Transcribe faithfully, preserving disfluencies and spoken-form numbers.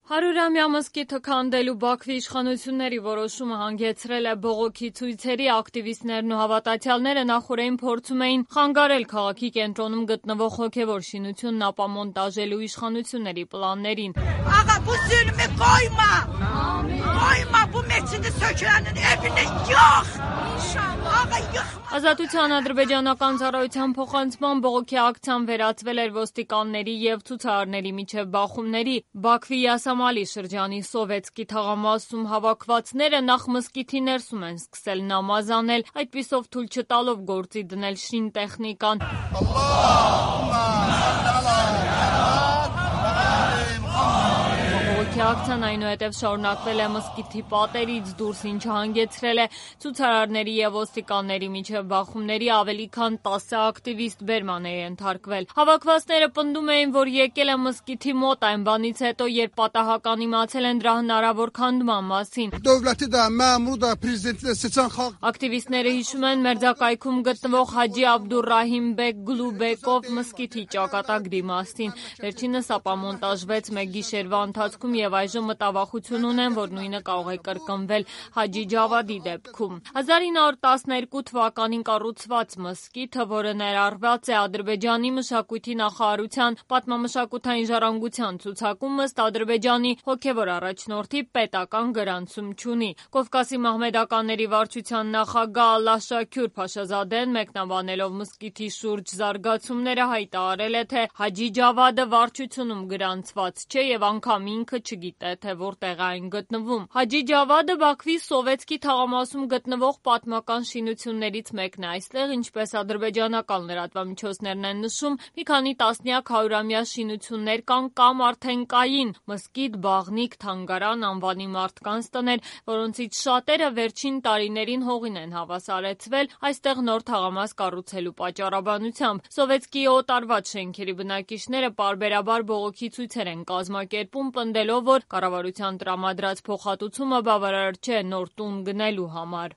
Հարյուրամյա մզկիթը քանդելու Բաքվի իշխանությունների որոշումը հանգեցրել է բողոքի ցույցերի, ակտիվիստներն ու հավատացյալները նախօրեին փորձում էին խանգարել քաղաքի կենտրոնում գտնվող հոգևոր շինությունն ապամոնտաժելու իշխանությունների պլաններին։ Աղա, bu zulmü koyma! Koyma bu mescidi sökülenin evine yok! Աղա, yok! Ազատության ադրբեջանական ծառայության փոխանցման բողոքի ակցիան վերածվել էր ոստիկանների և ցուցարարների միջև բախումների։ Բաքվի Յասամալի շրջանի Սովետսկի թաղամասում հավաքվածները նախ մզկիթի ներսում են սկսել նամազ անել, այդպիսով թույլ չտալով գործի դնել շինտեխնիկան։ Բողոքի ակցիան այնուհետև շարունակվել է մզկիթի պատերից դուրս, ինչը հանգեցրել է ցուցարարների և ոստիկանների միջև բախումների, ավելի քան տասը ակտիվիստ բերման է ենթարկվել։ Հավաքվածները պնդում էին, որ եկել է մզկիթի մոտ այն բանից հետո, երբ պատահական իմացել են դրա հնարավոր քանդման մասին։ Ակտիվիստները հիշում են մերձակայքում գտնվող Հաջի Աբդուռահիմբեկ Գլուբեկով մզկիթի ճակատագրի մասին։ Վերջինս ապամոնտաժվեց մեկ գիշերվա ընթացքում և այժմ մտավախություն ունեն, որ նույնը կարող է կրկնվել Հաջի Ջավադի դեպքում։ հազար ինը հարյուր տասներկու թվականին կառուցված մզկիթը, որը ներառված է Ադրբեջանի մշակույթի նախարարության պատմամշակութային ժառանգության ցուցակում, ըստ Ադրբեջանի հոգևոր առաջնորդի պետական գրանցում չունի։ Կովկասի մահմեդականների վարչության նախագահ Ալլահ Շաքյուր Փաշազադեն, մեկնաբանելով մզկիթի շուրջ զարգացումները, հայտարարել է, թե Հաջի Ջավադը վարչությունում գրանցված չէ և անգամ ինքը չգիտե, թե որտեղ է այն գտնվում։ Հաջի Ջավադը Բաքվի Սովետսկի թաղամասում գտնվող պատմական շինություններից մեկն է։ Այստեղ, ինչպես ադրբեջանական լրատվամիջոցներն են նշում, մի քանի տասնյակ հարյուրամյա շինություններ կան կամ արդեն կային՝ մզկիթ, բաղնիք, թանգարան, անվանի մարդկանց տներ, որոնցից շատերը վերջին տարիներին հողին են հավասարեցվել այստեղ նոր թաղամաս կառուցելու պատճառաբանությամբ։ Սովետսկիի օտարված շենքերի բնակիչները պարբերաբար բողոքի ցույցեր են կազմակերպում, պնդելով, որ կառավարության տրամադրած փոխհատուցումը բավարար չէ նոր տուն գնելու համար։